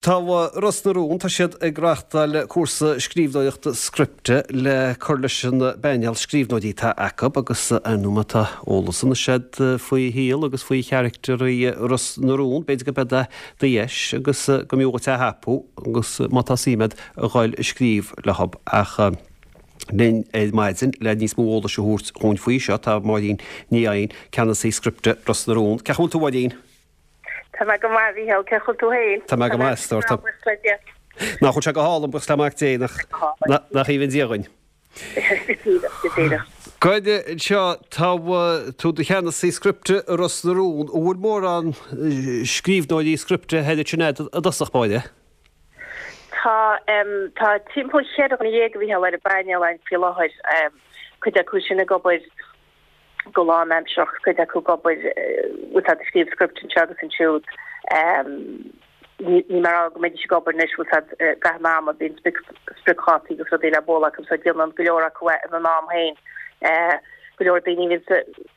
Tá Ros na Rún, tá siad ag reáchtáil cúrsa scríbhneoireachta scripte le cur leis an bpainéal scríbhneoirí atá acu agus ar ndóigh má tá eolas anois agat faoi shaol agus faoi charactairí Ros na Rún, b'fhéidir go mbeidh do dheis agus go mb'fhiú dhuit é a thapú agus má tá suim agat a dhul ag scríobh leo ach linn ar maidin le níos mó eolais a thabhairt dhúinn faoi seo tá Máirín Ní Eidhin, Ceannasaí Scripte Ros na Rún. Cén chaoi a bhfuil tú a Mháirín? Tá mé go maith, a Mhícheáil. Cén chaoi a bhfuil tú féin? Tá mé go maith, a stór. Tá. Buíochas le Dia. Nach bhfuil sé go hálainn, buíochas le Mac Dé, nach, nach aoibhinn Dia dhuinn. Go díreach, go díreach. Goid anseo, tá tú i do cheannasaí scripte i Ros na Rún. An bhfuil mórán scríbhneoirí scripte thoir ansin agat i dtosach báire? Tá, tá timpeall cheithre dhuine dhéag, a Mhícheáil, ar an bpainéal againn faoi láthair. Cuid acu sin ag obair go lánaimsearach, cuid acu ag obair, bhfuil siad ag scríobh script anseo agus ansiúd. Níl mé ag rá go mbeidís ag obair anois, bhfuil siad i gcaitheamh an ama, bíonn spriocdhátaí agus rudaí le bualadh acu so déanann go leor acu é ina n-am féin. Go leor daoine a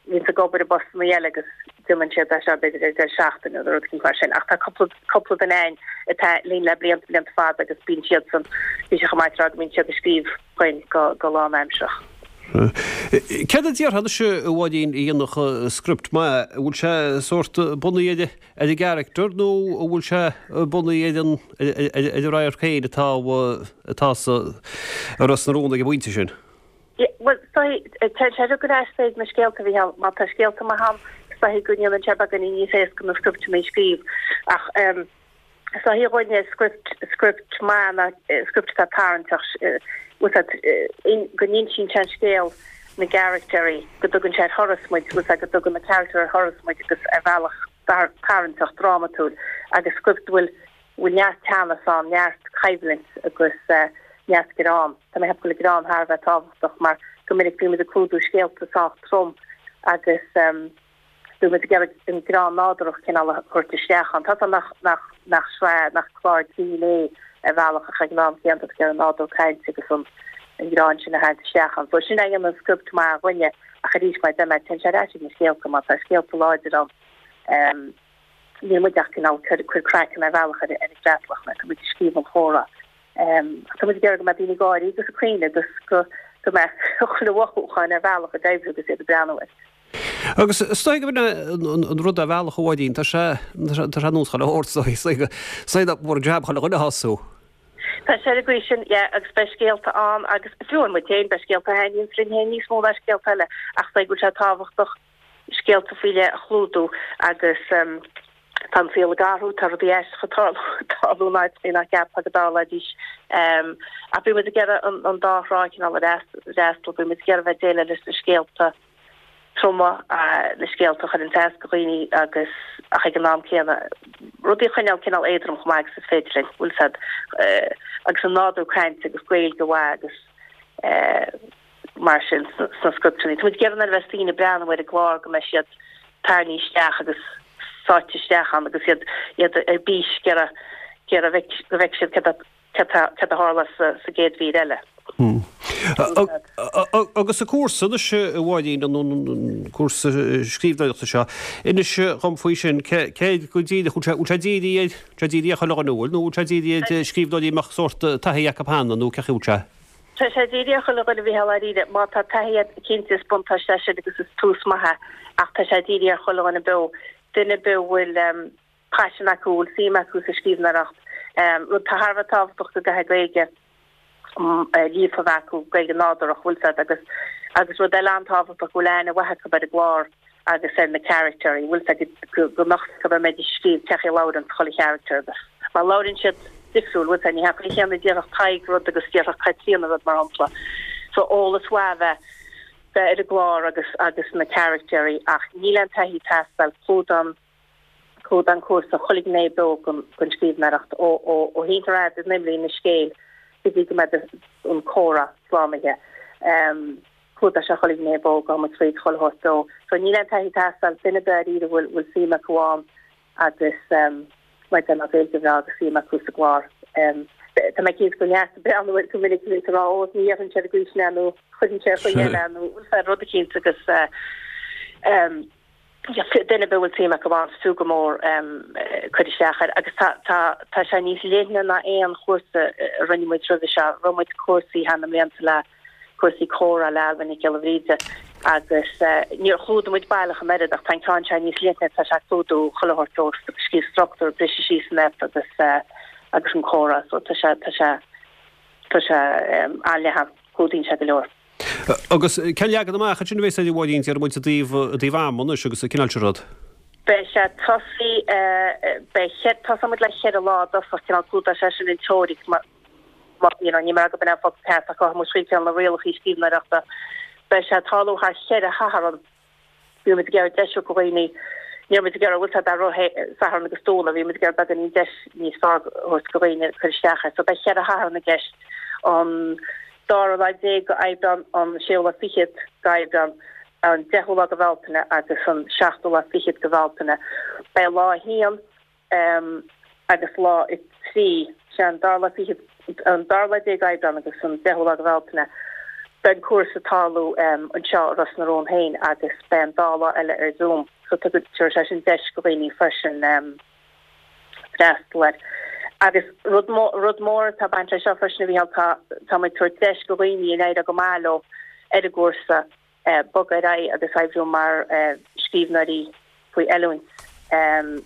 bhíonns ag obair i bpostanna eile agus déanann siad é seo b'fhéidir ar deireadh seachtaine nó rud éicint mar sin. Ach tá cúpla cúpla duine againn atá linn le blianta blianta fada agus bíonn siadsan, bhí sé chomh maith tráth go mbíonn siad ag scríobh dhuinn go lánaimsearach. Céard a déarfá anois a Mháirín a dhéanfadh script maith? An bhfuil sé sórt bunaithe ar an gcarachtar nó an bhfuil sé bunaithe ar an ar an radharc féin atá atá sa Ros na Rún ag an bpointe sin? Bhuel, is dóigh, téann sé ar ais ag na scéalta a Mhícheáil. Má tá scéalta maith ann, is dóigh go ndéanann sé beagáinín níos éasca na scripteanna a scríobh. Ach Is dóigh dhúinne script, script maith ná script atá tarraingteach, bhfuil fhios a'd, go n-insíonn sé an scéal na gcaractéirí, go dtugann sé ar thuras muid, bhfuil fhios a'd, go dtugann na caractéirí ar thuras muid agus ar bhealach tarraingteach, drámatúil agus script a bhfuil, bhfuil neart teannas ann, neart coimhlint agus neart greann. Tá mé ag ceapadh go bhfuil an greann thar a bheith tábhachtach mar go minic bíonn muid ag clúdú scéalta sách trom agus, Bíonn muid ag iarraidh an greann nádúrach cineál a thabhairt isteach ann. Tá 's agam nach, nach, nach sraith, nach clár grinn é ar bhealach ach ag an am céanna tá ag iarraidh an nádúr cainte agus an, an greann sin a tharraingt isteach ann. So sin é a dhéanann script maith dhúinne ach arís mar a deir mé, téann sé ar ais ag na scéalta má tá scéalta láidir ann. Ehm, níl muid ach cineál cur, cur craiceann ar bhealach ar, ar an gcreatlach mar tá muid ag scríobh an chomhrá. Ehm, ach tá muid ag iarraidh go mbeadh daoine ag gáirí agus ag caoineadh agus go, go mbeadh chuile mhothúchán ar bhealach ag oibriú agus iad ag breathnú air. Agus is dóigh gurb in an rud ar bhealach a Mháirín, tá sé tá sé ar nós chuile shórt, is dóigh, is dóigh nach mór an jab chuile dhuine a shású. Tá sé ar an gcaoi sin, yeah, agus beidh scéalta ann agus fiú amháin muid féin, beidh scéalta a thaitníonns linn féin níos mó ná scéalta eile ach is dóigh go bhfuil sé tábhachtach scéalta faoi leith a chlúdú agus tá an saol ag athrú, tá rudaí aisteacha ag tarlú in áiteachaí nach gceapfá go dtarlóidís. Ach bíonn muid ag iarraidh an dá thrá cineál a fhreastal, bíonn muid ag iarraidh bheith ag déileáil leis na scéalta troma, na scéalta a chuireann as do dhaoine agus ach ag an am céanna rudaí a choinneáil cineál éadrom chomh maith agus is féidir linn, bhfuil 's a'd, agus an nádúr cainte agus Gaeilge mhaith agus mar sin sna scripteanna. Tá muid ag iarraidh nuair a bheas daoine ag breathnú ar an gclár go mbeidh siad tarraingthe isteach agus sáite isteach ann agus iad iad ar bís ag iarraidh ag iarraidh go bhfeicfidh siad céard céard céard a tharla sa sa gcéad mhír eile. Agus an cúrsa anois a Mháirín, an cúrsa scríbhneoireachta seo, inis dhom faoi sin, céard go díreach, bhfuil sé dírithe ar, sé dírithe ar chuile dhuine, an bhfuil, nó bhfuil sé dírithe ar scríbhneoirí a mbeadh sórt taithí acu cheana nó cén chaoi a bhfuil sé? Tá sé dírithe ar chuile dhuine a Mhícheáil dáiríre. Má tá taithí agat, cinnte is buntáiste é sin agus is tús maith é ach tá sé dírithe ar chuile dhuine beo, duine ar bith a bhfuil paisean acu, a bhfuil suim acu sa scríbhneoireacht. Rud atá thar a bheith tábhachtach go gcaithfidh Gaeilge líofa a bheith acu, Gaeilge nádúrach, bhfuil 's a'd, agus agus rud eile an-tábhachtach go bhfuil aithne mhaith acu ar an gclár agus ar na caractéirí, bhfuil 's a'd, go go mbeadh 's acu a mbeidís ag scríobh cén chaoi a labhrann chuile character agus mar labhrann siad difriúil, bhfuil 's a'd, ní hea an chaoi chéanna a déarfadh Tadhg rud agus déarfadh Caitríona rud mar shampla. So eolas mhaith a bheith bheith ar an gclár agus agus na caractéirí ach níl aon taithí ag teastáil, clúdaíonn clúdaíonn an cúrsa chuile ghné beo den den scríbhneoireacht ó ó ó théann tú ar fhad in imlíne scéil go dtí go mbeidh an comhrá slánaithe. Clúdaíonn sé chuile ghné beo, gabhann muid tríd chuile shórt beo. So níl aon taithí ag teastáil, duine ar bith dáiríre a bhfuil bhfuil suim acu ann agus mar a deir mé Gaeilge bhreá agus suim acu sa gclár. Tá mé cinnte go bhfuil neart ag breathnú air go minic ag rá ó ní dhéarfainn sé ar an gcaoi sin é nó chuirfinn sé ar chaoi eile nó bhfuil rud eicínt agus. Duine ar bith a bhfuil suim acu ann, is fiú go mór cur isteach air agus tá tá tá sé níos leithne ná aon chúrsa a rinne muid roimhe seo. Rinne muid cúrsaí thar na mblianta le cúrsaí comhrá le Ailbhe Nic Giolla Bhríde agus níor chlúdaigh muid baileach an oiread ach tá an ceann seo níos leithne, tá sé ag clúdú chuile shórt ó scríobh struchtúr, briseadh síos an aip agus agus an comhrá so tá sé tá sé tá sé an-leathan, clúdaíonn sé go leor. Agus cén leagan amach ansin a bheas air a Mháirín, déarfaidh muid i dtaobh, i dtaobh ama anois agus an cineál sin rud? Beidh sé tosaí, beidh, tosóidh muid le cheithre lá i dtosach, cineál clúdóidh sé sin an teoiric mar, you know, níl mé ag rá gurb in é an focal ceart ach gabhfaidh muid tríd cineál na rialacha scríbhneoireachta. Beidh sé ag tarlú thar cheithre Shatharn. Bhí muid ag iarraidh deis a thabhairt do dhaoine, ní raibh muid ag iarraidh, bhfuil a fhios agat, rith Satharn agus Domhnach, bhí muid ag iarraidh beagáinín deis níos fearr a thabhairt do dhaoine cur isteach air. So beidh cheithre Shatharn i gceist, an dara lá déag go Aibreán, an séú lá fichead go Aibreán, an deichiú lá go Bhealtaine agus an seachtú lá fichead go Bhealtaine. Beidh lá a haon, agus lá 3, sé an dara lá fichead, an dara lá déag Aibreán agus an deichiú lá de Bhealtaine. Beidh an cúrsa ag tarlú anseo i Ros na Rún féin agus beidh an dá lá eile ar Zoom so tabharfaidh sé sin deis do dhaoine freisin freastal air. Agus rud rud mór atá ag baint leis seo freisin a Mhícheáil, tá tá muid ag tabhairt deis do dhaoine a n-éireoidh go maith leo ar an gcúrsa bogadh ar aghaidh agus oibriú mar scríbhneoirí faoi oiliúint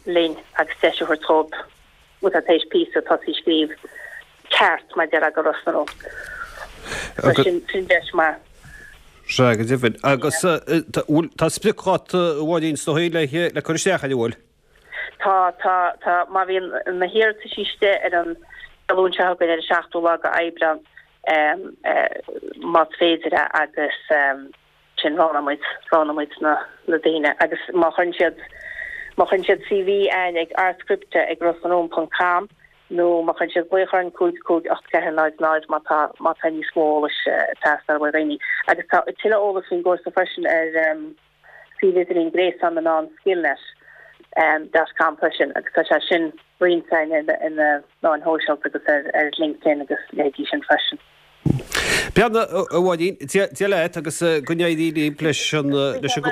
linn agus deis a thabhairt dhóibh má tá tar éis píosa tosaí a scríobh ceart mar a déarfá do Ros na Rún. So sin sin deis maith. Sea, go deimhin. Agus tá spriocdháta a Mháirín is dóigh le le cur isteach air, an bhfuil? Tá, tá, tá. Má bhíonn na hiarratais istigh ar an Dé Luain seo chugainn ar an seachtú lá de Aibreán, más féidir é agus sin roghnóidh muid, roghnóidh muid na na daoine agus má chuireann siad, má chuireann siad CV chugainn ag artscripte ag rosnarún ponc com nó má chuireann siad glaoch orainn 5 5 8 4 0 0 má tá, má tá níos mó eolais ag teastáil ó dhaoine. Agus tá tuilleadh eolais faoin gcúrsa freisin ar. suíomh idirlín gréasán na meán Skillnet dot com freisin agus tá sé sin roinnte againn ar na meáin shóisialta agus ar LinkedIn agus leithéidí sin freisin. Beannacht, a Mháirín, Dia leat agus go n-éirí libh leis an leis an.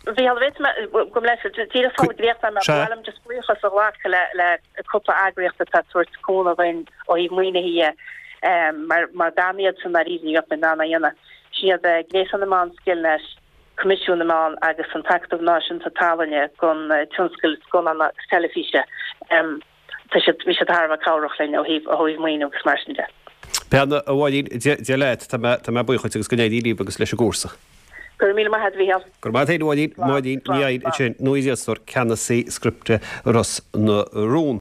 Mhícheál, bhféadfadh mé, gabh mo leithscéal, díreach sula gcríochnóidh mé, ba mhaith liom just buíochas a ghlacadh le le cúpla eagraíocht atá ag tabhairt cúnamh dúinn ó thaobh maoinithe dhe, mar mar gan iad san dáiríre ní bheadh muid in ann é a dhéanamh. Sin iad Gréasán na Meán Skillnet, Coimisiún na Meán agus an tAcadamh Náisiúnta Tallainne don Tionscal Scannán agus Teilifíse. Tá siad, bhí siad thar a bheith cabhrach linn ó thaobh, ó thaobh maoiniú agus mar sin de. Beannacht, a Mháirín, Dia leat, tá mé, tá mé buíoch dhuit agus go n-éirí libh agus leis an gcúrsa. Go raibh míle maith agat, a Mhícheál. Go raibh maith agat féin, a Mháirín. Máirín Ní Eidhin ansin, nuathiriseoir, ceannasaí scripte Ros na Rún.